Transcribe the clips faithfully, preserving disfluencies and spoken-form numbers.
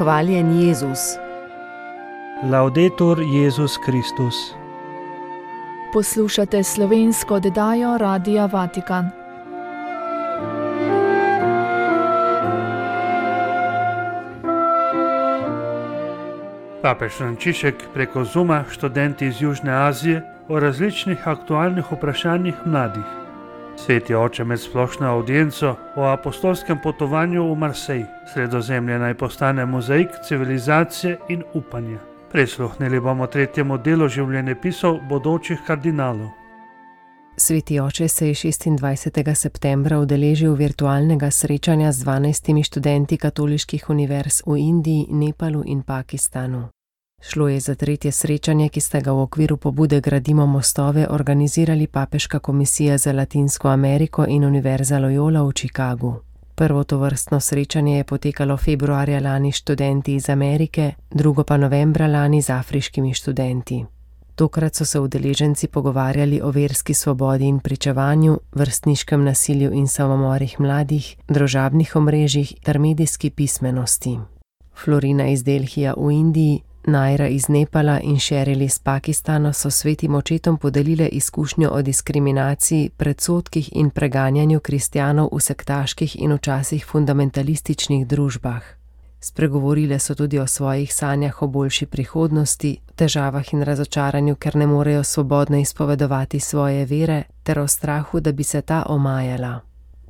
Hvaljen Jezus. Laudetur Jezus Kristus. Poslušate slovensko oddajo Radia Vatikan. Papež Frančišek preko Zooma študenti iz Južne Azije o različnih aktualnih vprašanjih mladih. Sveti oče med splošno avdienco o apostolskem potovanju v Marsej. Sredozemlje naj postane mozaik civilizacije in upanja. Prisluhnili bomo tretjemu delu življenjepisov bodočih kardinalov. Sveti oče se je šestindvajsetega septembra udeležil virtualnega srečanja z dvanajstimi študenti katoliških univerz v Indiji, Nepalu in Pakistanu. Šlo je za tretje srečanje, ki sta ga v okviru pobude Gradimo mostove organizirali Papeška komisija za Latinsko Ameriko in Univerza Loyola v Chicagu. Prvo tovrstno srečanje je potekalo februarja lani s študenti iz Amerike, drugo pa novembra lani z afriškimi študenti. Tokrat so se udeleženci pogovarjali o verski svobodi in pričevanju, vrstniškem nasilju in samomorih mladih, družabnih omrežjih ter medijski pismenosti. Florina iz Delhija v Indiji, Naira iz Nepala in Sheryl iz Pakistana so svetim očetom podelile izkušnjo o diskriminaciji, predsodkih in preganjanju kristjanov v sektaških in včasih fundamentalističnih družbah. Spregovorile so tudi o svojih sanjah o boljši prihodnosti, težavah in razočaranju, ker ne morejo svobodno izpovedovati svoje vere, ter o strahu, da bi se ta omajala.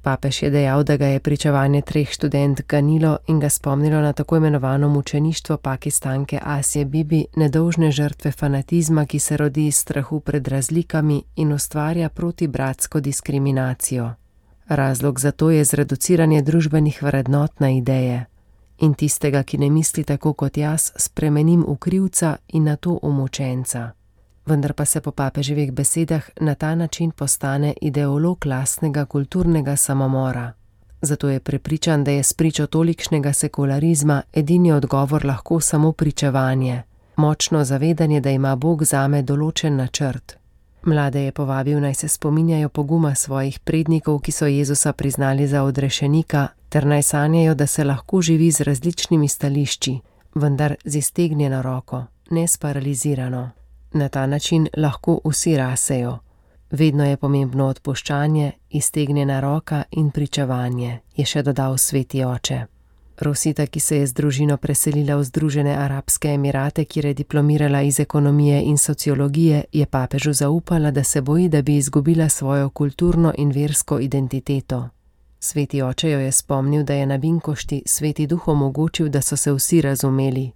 Papež je dejal, da ga je pričevanje treh študent ganilo in ga spomnilo na tako imenovano mučeništvo Pakistanke Asije Bibi, nedolžne žrtve fanatizma, ki se rodi iz strahu pred razlikami in ustvarja protibratsko diskriminacijo. Razlog za to je zreduciranje družbenih vrednot na ideje. In tistega, ki ne misli tako kot jaz, spremenim v krivca in na to v mučenca. Vendar pa se po papeževih besedah na ta način postane ideolog lastnega kulturnega samomora. Zato je prepričan, da je spričo tolikšnega sekularizma edini odgovor lahko samo pričevanje, močno zavedanje, da ima Bog zame določen načrt. Mlade je povabil, naj se spominjajo poguma svojih prednikov, ki so Jezusa priznali za odrešenika, ter naj sanjajo, da se lahko živi z različnimi stališči, vendar z iztegnjeno roko, ne sparalizirano. Na ta način lahko vsi rasejo. Vedno je pomembno odpuščanje, iztegnjena roka in pričevanje, je še dodal sveti oče. Rosita, ki se je z družino preselila v Združene arabske emirate, kjer je diplomirala iz ekonomije in sociologije, je papežu zaupala, da se boji, da bi izgubila svojo kulturno in versko identiteto. Sveti oče jo je spomnil, da je na Vinkošti sveti duh omogočil, da so se vsi razumeli.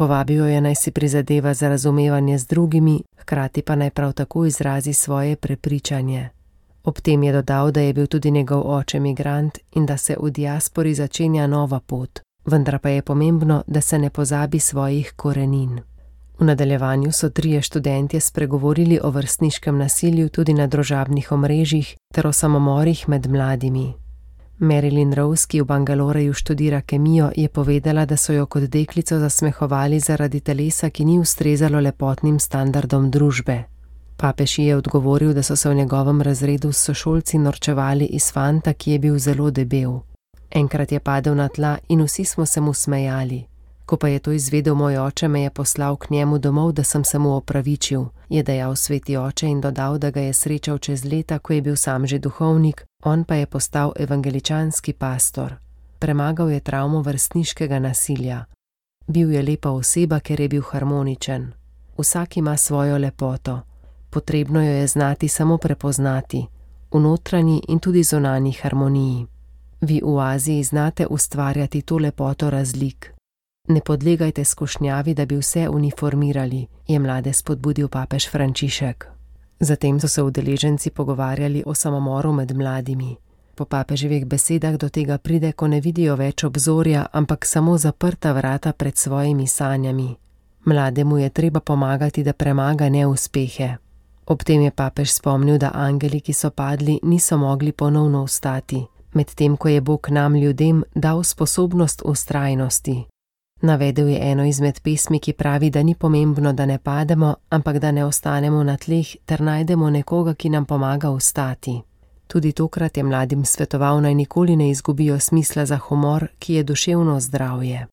Povabil jo je, naj si prizadeva za razumevanje z drugimi, hkrati pa naj prav tako izrazi svoje prepričanje. Ob tem je dodal, da je bil tudi njegov oče migrant in da se v diaspori začenja nova pot, vendar pa je pomembno, da se ne pozabi svojih korenin. V nadaljevanju so trije študentje spregovorili o vrstniškem nasilju tudi na družabnih omrežjih ter o samomorih med mladimi. Marilyn Rose, ki v Bangaloreju študira kemijo, je povedala, da so jo kot deklico zasmehovali zaradi telesa, ki ni ustrezalo lepotnim standardom družbe. Papež ji je odgovoril, da so se v njegovem razredu s sošolci norčevali iz fanta, ki je bil zelo debel. Enkrat je padel na tla in vsi smo se mu smejali. Ko pa je to izvedel moj oče, me je poslal k njemu domov, da sem se mu opravičil, je dejal sveti oče in dodal, da ga je srečal čez leta, ko je bil sam že duhovnik, on pa je postal evangeličanski pastor. Premagal je travmo vrstniškega nasilja. Bil je lepa oseba, ker je bil harmoničen. Vsak ima svojo lepoto. Potrebno jo je znati samo prepoznati, v notranji in tudi zunanji harmoniji. Vi v Aziji znate ustvarjati to lepoto razlik. Ne podlegajte skušnjavi, da bi vse uniformirali, je mlade spodbudil papež Frančišek. Zatem so se udeleženci pogovarjali o samomoru med mladimi. Po papeževih besedah do tega pride, ko ne vidijo več obzorja, ampak samo zaprta vrata pred svojimi sanjami. Mlademu je treba pomagati, da premaga neuspehe. Ob tem je papež spomnil, da angeli, ki so padli, niso mogli ponovno vstati, medtem ko je Bog nam ljudem dal sposobnost vztrajnosti. Navedel je eno izmed pesmi, ki pravi, da ni pomembno, da ne pademo, ampak da ne ostanemo na tleh ter najdemo nekoga, ki nam pomaga vstati. Tudi tokrat je mladim svetoval, naj nikoli ne izgubijo smisla za humor, ki je duševno zdravje.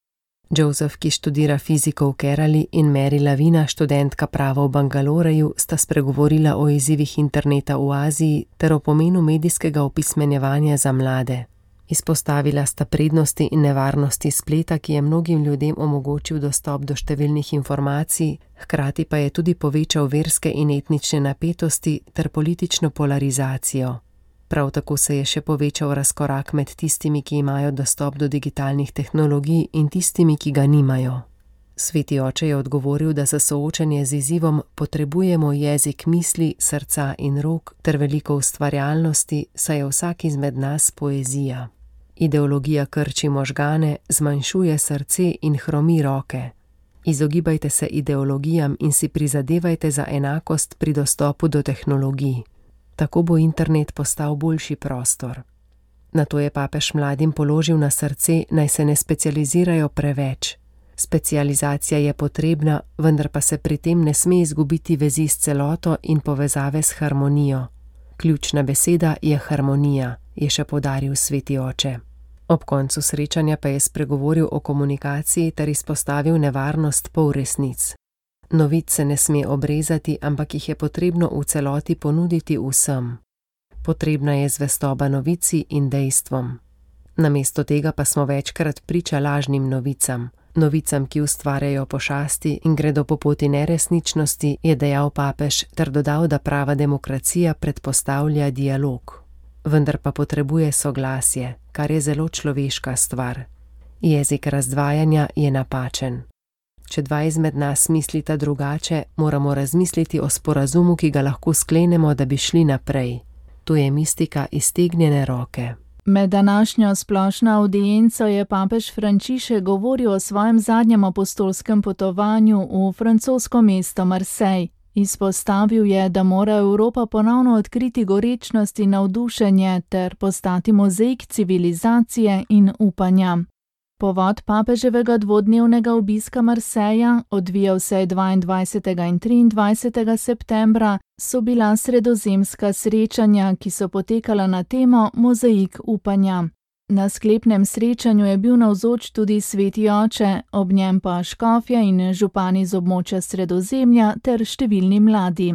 Joseph, ki študira fiziko v Kerali, in Mary Lavina, študentka prava v Bangaloreju, sta spregovorila o izzivih interneta v Aziji ter o pomenu medijskega opismenjevanja za mlade. Izpostavila sta prednosti in nevarnosti spleta, ki je mnogim ljudem omogočil dostop do številnih informacij, hkrati pa je tudi povečal verske in etnične napetosti ter politično polarizacijo. Prav tako se je še povečal razkorak med tistimi, ki imajo dostop do digitalnih tehnologij, in tistimi, ki ga nimajo. Sveti oče je odgovoril, da za soočanje z izzivom potrebujemo jezik misli, srca in rok ter veliko ustvarjalnosti, saj je vsak izmed nas poezija. Ideologija krči možgane, zmanjšuje srce in hromi roke. Izogibajte se ideologijam in si prizadevajte za enakost pri dostopu do tehnologij. Tako bo internet postal boljši prostor. Nato je papež mladim položil na srce, naj se ne specializirajo preveč. Specializacija je potrebna, vendar pa se pri tem ne sme izgubiti vezi s celoto in povezave s harmonijo. Ključna beseda je harmonija, je še poudaril sveti oče. Ob koncu srečanja pa je spregovoril o komunikaciji ter izpostavil nevarnost polresnic. Novic se ne sme obrezati, ampak jih je potrebno v celoti ponuditi vsem. Potrebna je zvestoba novici in dejstvom. Namesto tega pa smo večkrat priča lažnim novicam. Novicam, ki ustvarjajo pošasti in gredo po poti neresničnosti, je dejal papež ter dodal, da prava demokracija predpostavlja dialog. Vendar pa potrebuje soglasje, kar je zelo človeška stvar. Jezik razdvajanja je napačen. Če dva izmed nas mislita drugače, moramo razmisliti o sporazumu, ki ga lahko sklenemo, da bi šli naprej. To je mistika iztegnjene roke. Med današnjo splošno avdienco je papež Frančišek govoril o svojem zadnjem apostolskem potovanju v francosko mesto Marseille. Izpostavil je, da mora Evropa ponovno odkriti gorečnost in navdušenje ter postati mozaik civilizacije in upanja. Povod papeževega dvodnevnega obiska Marseja, odvijal se je dvaindvajsetega in triindvajsetega septembra, so bila sredozemska srečanja, ki so potekala na temo Mozaik upanja. Na sklepnem srečanju je bil navzoč tudi sveti oče, ob njem pa škofje in župani z območja Sredozemlja ter številni mladi.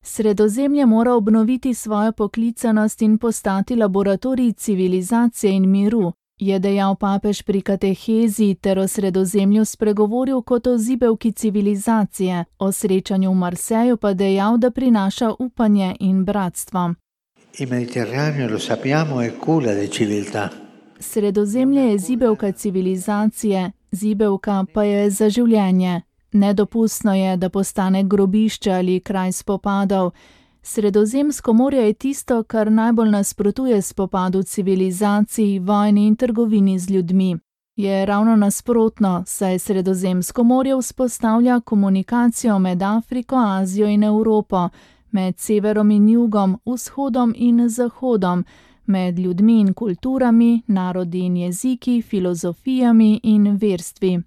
Sredozemlje mora obnoviti svojo poklicanost in postati laboratorij civilizacije in miru, je dejal papež pri katehezi ter o Sredozemlju spregovoril kot o zibelki civilizacije, o srečanju v Marseju pa dejal, da prinaša upanje in bratstvo. Il Mediterraneo, lo sappiamo, è culla di civiltà. Sredozemlje je zibelka civilizacije, zibelka pa je za življenje. Nedopustno je, da postane grobišče ali kraj spopadov. Sredozemsko morje je tisto, kar najbolj nasprotuje spopadu civilizacij, vojni in trgovini z ljudmi. Je ravno nasprotno, saj Sredozemsko morje vzpostavlja komunikacijo med Afriko, Azijo in Evropo, med severom in jugom, vzhodom in zahodom, med ljudmi in kulturami, narodi in jeziki, filozofijami in verstvi.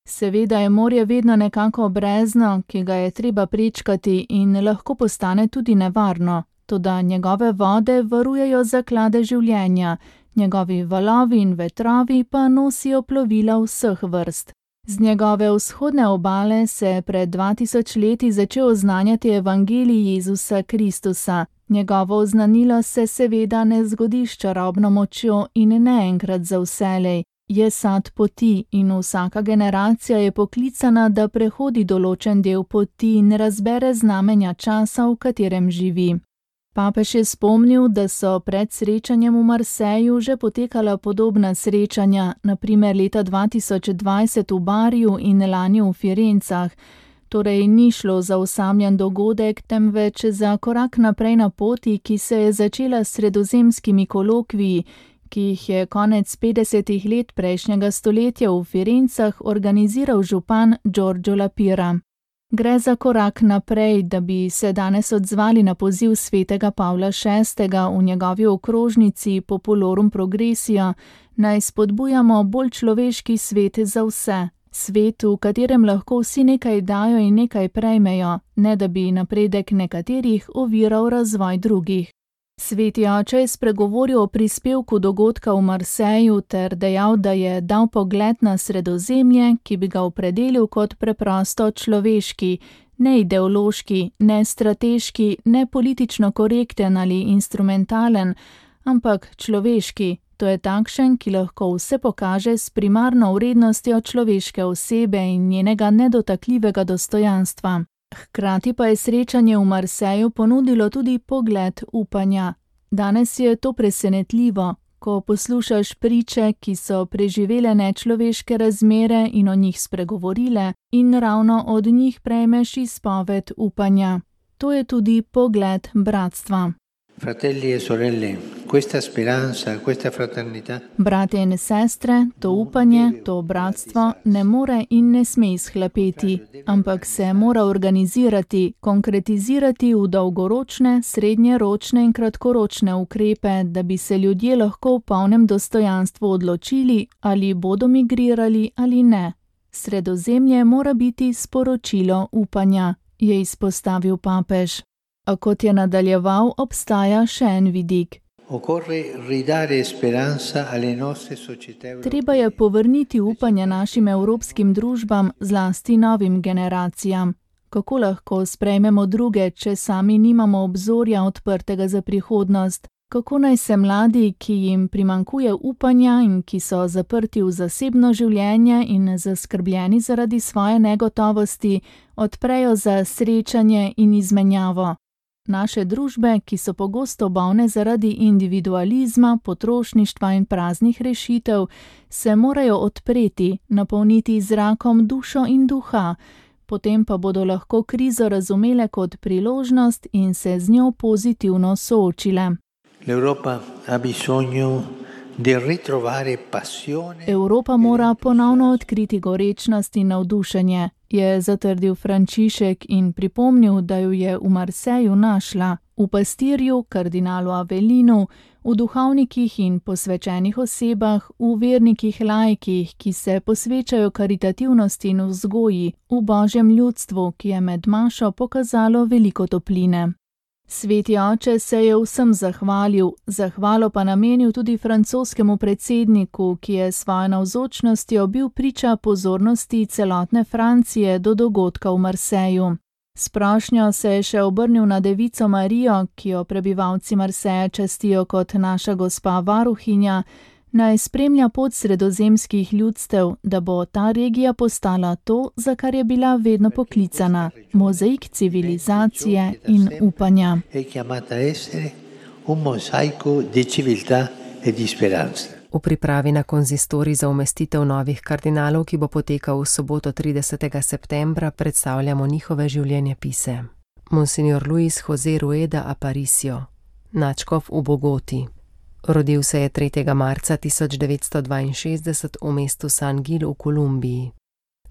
Seveda je morje vedno nekako brezno, ki ga je treba prečkati in lahko postane tudi nevarno, toda njegove vode varujejo zaklade življenja, njegovi valovi in vetrovi pa nosijo plovila vseh vrst. Z njegove vzhodne obale se je pred dva tisoč leti začel oznanjati evangelij Jezusa Kristusa. Njegovo oznanilo se seveda ne zgodi s čarobno močjo in ne enkrat za vselej. Je sad poti in vsaka generacija je poklicana, da prehodi določen del poti in razbere znamenja časa, v katerem živi. Papež je spomnil, da so pred srečanjem v Marseju že potekala podobna srečanja, na primer leta dva tisoč dvajset v Bariju in lani v Firencah. Torej ni šlo za osamljen dogodek, temveč za korak naprej na poti, ki se je začela s sredozemskimi kolokviji, ki jih je konec petdesetih let prejšnjega stoletja v Firencah organiziral župan Giorgio La Pira. Gre za korak naprej, da bi se danes odzvali na poziv svetega Pavla šestega v njegovi okrožnici Populorum Progressio, naj spodbujamo bolj človeški svet za vse. Svet, v katerem lahko vsi nekaj dajo in nekaj prejmejo, ne da bi napredek nekaterih oviral razvoj drugih. Sveti oče je spregovoril o prispevku dogodka v Marseju ter dejal, da je dal pogled na Sredozemlje, ki bi ga opredelil kot preprosto človeški, ne ideološki, ne strateški, ne politično korekten ali instrumentalen, ampak človeški, to je takšen, ki lahko vse pokaže s primarno vrednostjo človeške osebe in njenega nedotakljivega dostojanstva. Hkrati pa je srečanje v Marseju ponudilo tudi pogled upanja. Danes je to presenetljivo, ko poslušaš priče, ki so preživele nečloveške razmere in o njih spregovorile, in ravno od njih prejmeš izpoved upanja. To je tudi pogled bratstva. Fratelli e sorelle, questa speranza, questa fraternità. Brate in sestre, to upanje, to bratstvo ne more in ne sme izhlapeti, ampak se mora organizirati, konkretizirati v dolgoročne, srednjeročne in kratkoročne ukrepe, da bi se ljudje lahko v polnem dostojanstvu odločili, ali bodo migrirali ali ne. Sredozemlje mora biti sporočilo upanja, je izpostavil papež. A kot je nadaljeval, obstaja še en vidik. Treba je povrniti upanje našim evropskim družbam, zlasti novim generacijam. Kako lahko sprejmemo druge, če sami nimamo obzorja odprtega za prihodnost? Kako naj se mladi, ki jim primanjkuje upanja in ki so zaprti v zasebno življenje in zaskrbljeni zaradi svoje negotovosti, odprejo za srečanje in izmenjavo? Naše družbe, ki so pogosto bolne zaradi individualizma, potrošništva in praznih rešitev, se morajo odpreti, napolniti zrakom dušo in duha, potem pa bodo lahko krizo razumele kot priložnost in se z njo pozitivno soočile. Evropa mora ponovno odkriti gorečnost in navdušenje, je zatrdil Frančišek in pripomnil, da jo je v Marseju našla, v pastirju, kardinalu Avelinu, v duhovnikih in posvečenih osebah, v vernikih laikih, ki se posvečajo karitativnosti in vzgoji, v božjem ljudstvu, ki je med mašo pokazalo veliko topline. Sveti oče se je vsem zahvalil, zahvalo pa namenil tudi francoskemu predsedniku, ki je svojo navzočnostjo bil priča pozornosti celotne Francije do dogodka v Marseju. S prošnjo se je še obrnil na Devico Marijo, ki jo prebivalci Marseja častijo kot naša gospa varuhinja, naj spremlja pot sredozemskih ljudstev, da bo ta regija postala to, za kar je bila vedno poklicana, mozaik civilizacije in upanja. V pripravi na konzistorij za umestitev novih kardinalov, ki bo potekal v soboto tridesetega septembra, predstavljamo njihove življenjepise. Monsignor Luis José Rueda Aparicio, nadškof v Bogoti. Rodil se je tretjega marca tisoč devetsto dvainšestdeset v mestu San Gil v Kolumbiji.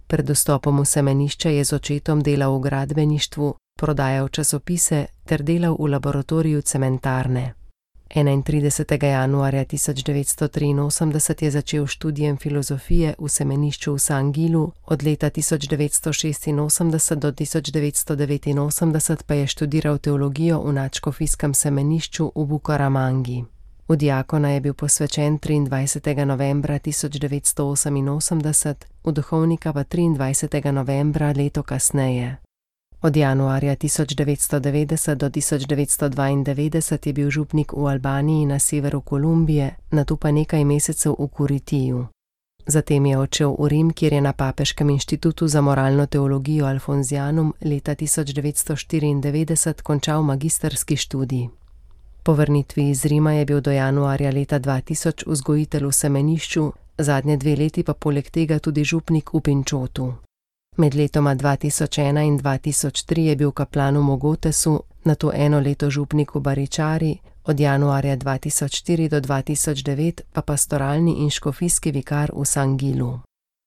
Pred vstopom v semenišče je z očetom delal v gradbeništvu, prodajal časopise ter delal v laboratoriju cementarne. enaintridesetega januarja tisoč devetsto triinosemdeset je začel študijem filozofije v semenišču v San Gilu, od leta tisoč devetsto šestinosemdeset do tisoč devetsto devetinosemdeset pa je študiral teologijo v nadškofijskem semenišču v Bukaramangi. V diakona je bil posvečen triindvajsetega novembra tisoč devetsto oseminosemdeset, v duhovnika pa triindvajsetega novembra leto kasneje. Od januarja tisoč devetsto devetdeset do tisoč devetsto dvaindevetdeset je bil župnik v Albaniji na severu Kolumbije, nato pa nekaj mesecev v Kuritiju. Zatem je odšel v Rim, kjer je na Papeškem inštitutu za moralno teologijo Alfonzianum leta tisoč devetsto štiriindevetdeset končal magistrski študij. Po vrnitvi iz Rima je bil do januarja leta dva tisoč vzgojitelj v semenišču, zadnje dve leti pa poleg tega tudi župnik v Pinčotu. Med letoma dva tisoč ena in dva tisoč tri je bil kaplan v Mogotesu, nato eno leto župnik v Baričari, od januarja dva tisoč štiri do dva tisoč devet pa pastoralni in škofijski vikar v San Gilu.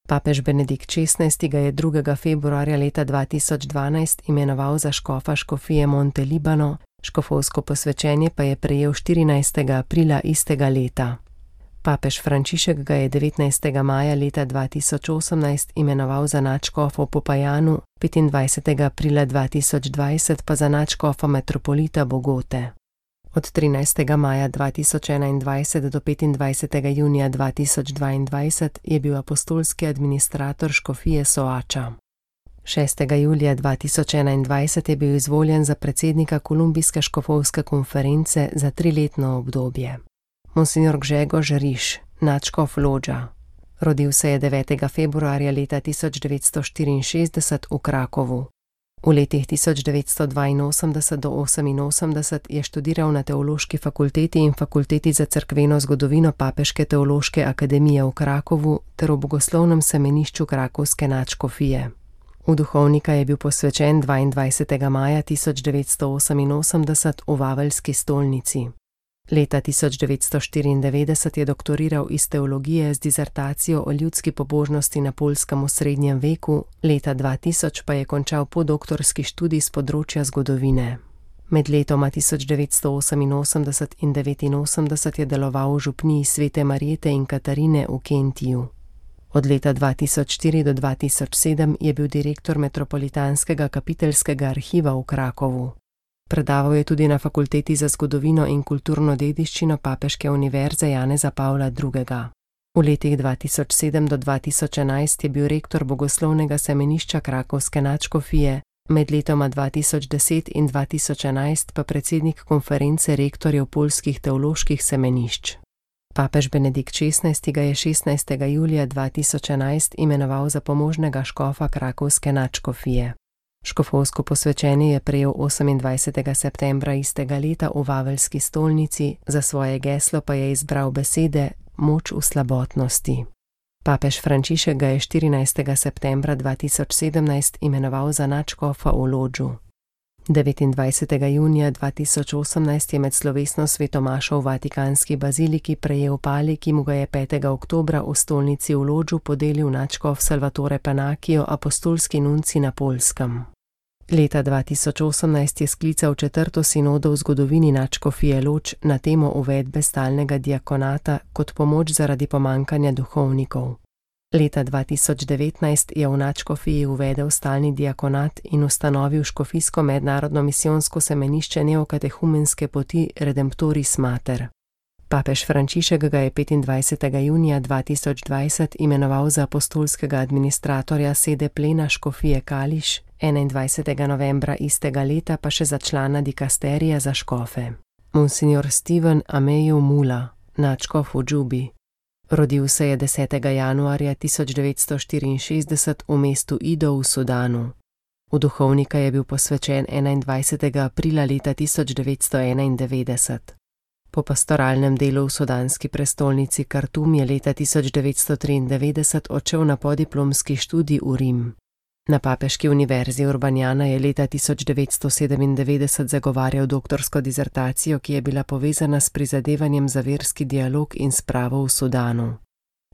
Papež Benedikt šestnajsti ga je drugega februarja leta dva tisoč dvanajst imenoval za škofa škofije Monte Libano, škofovsko posvečenje pa je prejel štirinajstega aprila istega leta. Papež Frančišek ga je devetnajstega maja leta dva tisoč osemnajst imenoval za nadškofa v Popajanu, petindvajsetega aprila dva tisoč dvajset pa za nadškofa metropolita Bogote. Od trinajstega maja dva tisoč enaindvajset do petindvajsetega junija dva tisoč dvaindvajset je bil apostolski administrator škofije Soača. šestega julija dva tisoč enaindvajset je bil izvoljen za predsednika Kolumbijske škofovske konference za triletno obdobje. Monsignor Grzegorz Riš, nadškof Lodža. Rodil se je devetega februarja leta tisoč devetsto štiriinšestdeset v Krakovu. V letih tisoč devetsto dvainosemdeset do oseminosemdeset je študiral na Teološki fakulteti in Fakulteti za cerkveno zgodovino Papeške teološke akademije v Krakovu ter v Bogoslovnem semenišču krakovske nadškofije. V duhovnika je bil posvečen dvaindvajsetega maja tisoč devetsto oseminosemdeset v Vaveljski stolnici. Leta tisoč devetsto štiriindevetdeset je doktoriral iz teologije z dizertacijo o ljudski pobožnosti na Poljskem v srednjem veku, leta dva tisoč pa je končal podoktorski študij s področja zgodovine. Med letoma tisoč devetsto oseminosemdeset in devetinosemdeset je deloval v župniji Svete Marjete in Katarine v Kentiju. Od leta dva tisoč štiri do dva tisoč sedem je bil direktor Metropolitanskega kapiteljskega arhiva v Krakovu. Predaval je tudi na Fakulteti za zgodovino in kulturno dediščino Papeške univerze Janeza Pavla drugega. V letih dva tisoč sedem do dva tisoč enajst je bil rektor Bogoslovnega semenišča krakovske nadškofije, med letoma dva tisoč deset in dva tisoč enajst pa predsednik konference rektorjev poljskih teoloških semenišč. Papež Benedikt šestnajsti ga je šestnajstega julija dva tisoč enajst imenoval za pomožnega škofa krakovske nadškofije. Škofovsko posvečenje je prejel osemindvajsetega septembra istega leta v Vaveljski stolnici, za svoje geslo pa je izbral besede Moč v slabotnosti. Papež Frančišek ga je štirinajstega septembra dva tisoč sedemnajst imenoval za nadškofa v Lodžu. devetindvajsetega junija dva tisoč osemnajst je med slovesno svetomašo v Vatikanski baziliki prejel pali, ki mu ga je petega oktobra v stolnici v Lodžu podelil nadškof Salvatore Panakijo, apostolski nunci na Poljskem. Leta dva tisoč osemnajst je sklical četrto sinodo v zgodovini nadškofije Lodž na temo uvedbe stalnega diakonata kot pomoč zaradi pomankanja duhovnikov. Leta dva tisoč devetnajst je v nadškofiji uvedel stalni diakonat in ustanovil škofijsko mednarodno misijonsko semenišče neokatehumenske poti Redemptoris Mater. Papež Frančišek ga je petindvajsetega junija dva tisoč dvajset imenoval za apostolskega administratorja sede plena škofije Kališ, enaindvajsetega novembra istega leta pa še za člana dikasterija za škofe. Monsignor Steven Ameju Mula, nadškof v Džubi. Rodil se je desetega januarja tisoč devetsto štiriinšestdeset v mestu Ido v Sudanu. V duhovnika je bil posvečen enaindvajsetega aprila leta tisoč devetsto enaindevetdeset. Po pastoralnem delu v sudanski prestolnici Kartum je leta tisoč devetsto triindevetdeset odšel na podiplomski študij v Rim. Na Papeški univerzi Urbanjana je leta tisoč devetsto sedemindevetdeset zagovarjal doktorsko dizertacijo, ki je bila povezana s prizadevanjem za verski dialog in spravo v Sudanu.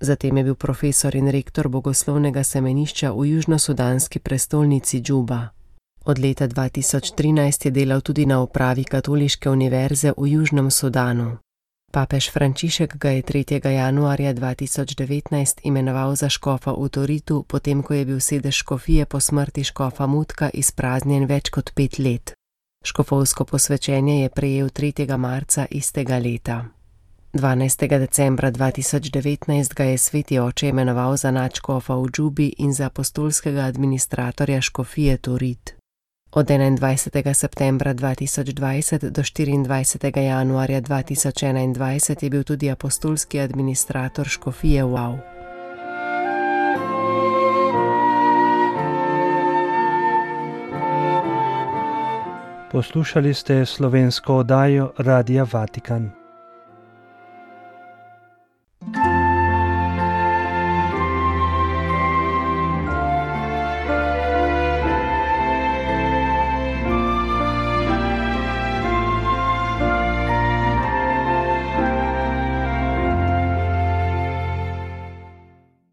Zatem je bil profesor in rektor Bogoslovnega semenišča v južnosudanski prestolnici Džuba. Od leta dva tisoč trinajst je delal tudi na upravi Katoliške univerze v Južnem Sudanu. Papež Frančišek ga je tretjega januarja dva tisoč devetnajst imenoval za škofa v Toritu, potem ko je bil sedež škofije po smrti škofa Mutka izpraznjen več kot pet let. Škofovsko posvečenje je prejel tretjega marca istega leta. dvanajstega decembra dva tisoč devetnajst ga je sveti oče imenoval za nadškofa v Džubi in za apostolskega administratorja škofije Torit. Od enaindvajsetega septembra dva tisoč dvajset do štiriindvajsetega januarja dva tisoč enaindvajset je bil tudi apostolski administrator škofije Wow. Poslušali ste slovensko oddajo Radia Vatikan.